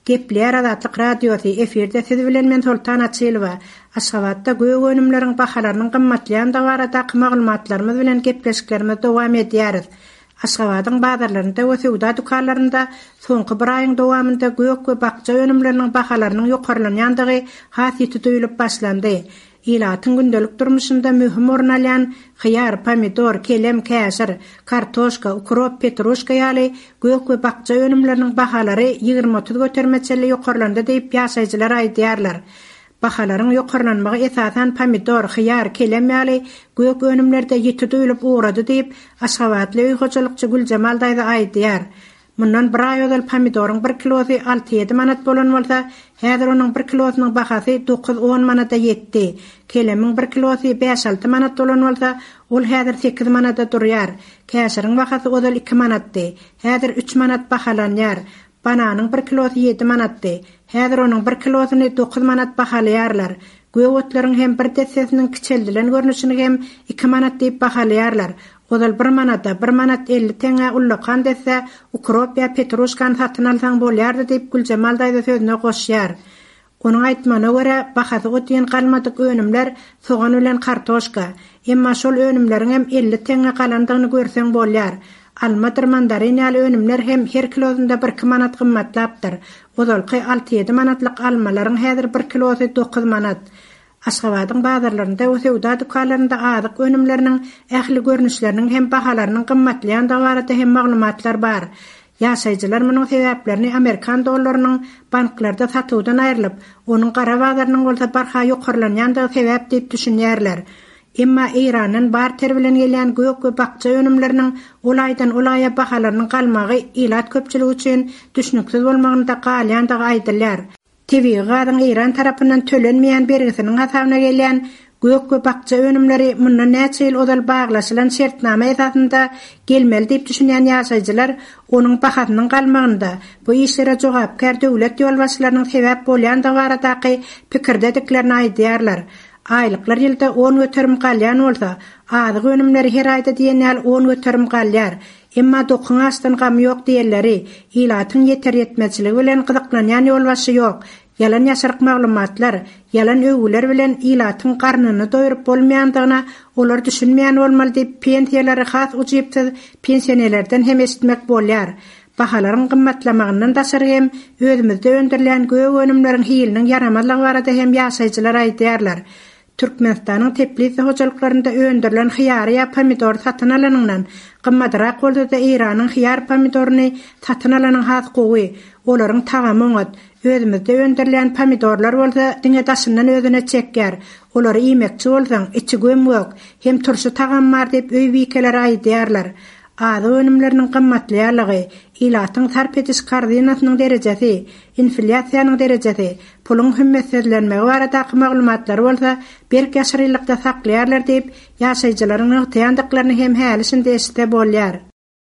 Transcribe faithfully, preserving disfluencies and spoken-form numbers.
Gepleýär Azatlyk Radiosy, efirde siz bilen men Soltan Açylowa. Aşgabatda gök önümleriň bahalarynyň gymmatlaýandygy baradaky maglumatlarymyz bilen gepleşiklerimizi dowam edýäris. Aşgabadyň bazarlarynda we söwda dükanlarynda soňky bir aýyň dowamynda gök we bakja önümleriniň bahalarynyň ýokarlanýandygy has ýiti duýulyp başlandy. Ilatyň gündelik durmuşynda möhüm orun alýan hyýar, pomidor, kelem, käşir, kartoşka, ukrop, petruşka ýaly gök we bakja önümleriniň bahalary ýigrimi-otuz göterime çenli ýokarlandy diýip ýaşaýjylar aýdýarlar. Bahalaryň ýokarlanmagy esasan pomidor, hyýar, kelem ýaly gök önümlerde ýiti duýulyp ugrady diýip, aşgabatly öý hojalykçy Güljemal daýza aýdýar. Mundan bir aý ozal pomidoryň bir kilosy alty-ýedi manat bolan bolsa, häzir onuň bir kilosynyň bahasy dokuz-on manada ýetdi. Kelemiň bir kilosy bäş-alty manat bolan bolsa, ol häzir sekiz manada durýar. Käşiriň bahasy ozal iki manatdy. Häzir üç manat bahalanýar. Bananyň bir kilosy ýedi manatdy. Häzir onuň bir kilosyny dokuz manat bahalaýarlar. Gök otlaryň hem bir dessesiniň kiçeldilen görnüşini hem iki manat diýip bahalaýarlar. Ozal bir manada, bir manat elli teňňä ullakan desse ukrop ýa petruşkany satyn alsaň bolýardy diýip Güljemal daýza sözüne goşýar. Onuň aýtmagyna görä, bahasy o diýen galmadyk önümler sogan bilen kartoşka. Emma şol önümleriň hem elli teňňä galandygyny görseň bolýar. Almadyr mandarin ýaly önümler hem her kilosynda bir-iki manat gymmatlapdyr. Ozalky alty-ýedi manatlyk almalaryň häzir bir kilosy dokuz manat. Aşgabadyň bazarlarynda we söwda dükanlarynda azyk önümleriniň ähli görnüşleriniň hem bahalarynyň gymmatlaýandygy barada hem maglumatlar bar. Ýaşaýjylar munuň sebäplerini amerikan dollarynyň banklarda satuwdan aýrylyp, onuň gara bazarynyň bolsa barha ýokarlanýandygy sebäp diýip düşünýärler. Emma Eýrandan barter bilen gelýän gök we bakja önümleriniň ol aýdan ol aýa bahalarynyň galmagy ilat köpçüligi üçin düşnüksiz bolmagynda galýandygy aýdylýar. Tebigy gazyň Eýran tarapyndan tölenmeýän bergisiniň hasabyna gelýän gök we bakja önümleri mundan näçe ýyl ozal baglaşylan şertnama esasynda gelmeli diýip düşünýän ýaşaýjylar onuň bahasynyň galmagynda bu işlere jogapkär döwlet ýolbaşçylarynyň sebäp bolýandygy baradaky pikirdediklerini aýdýarlar. Aýlyklar ýylda on göterim galýan bolsa, azyk önümleri her aýda diýen ýaly on göterim galýar. Emma dokuň açdan gamy ýok diýenleri, ilatyň ýeter-ýetmezçiligi bilen gyzyklanýan ýolbaşçy ýok. Ýalan ýaşaryk maglumatlar, ýalan öwgüler bilen ilatyň garnyny doýuryp bolmaýandygyna olar düşünmeýän bolmaly diýip pensiýalary has ujypsyz pensionerlerden hem eşitmek bolýar. Bahalaryň gymmatlamagyndan daşary hem özümizde öndürilýän gök önümleriň hiliniň ýaramazlygy barada hem ýaşaýjylar aýdýarlar. Türkmenistanyň teplitsa hojalyklarynda öndürilen hyýary ýa pomidory satyn alanyňdan gymmatrak bolsa-da Eýranyň hyýar pomidoryny satyn alanyň has gowy, olaryň tagamy oňat. Özümizde öndürilýän pomidorlar bolsa diňe daşyndan özüne çekýär. Olary iýmekçi bolsaň, içi göm-gök, hem turşy tagam bar diýip öý bikeleri aýdýarlar. Azyk önümleriniň gymmatlaýarlygy, ilatyň sarp ediş korzinasynyň derejesi, inflýasiýanyň derejesi, puluň hümmetsizlenmegi baradaky maglumatlary bolsa berk ýaşyrylykda saklaýarlar diýip, ýaşaýjylaryň nygtaýandyklaryny hem häli şindi eşitse bolýar.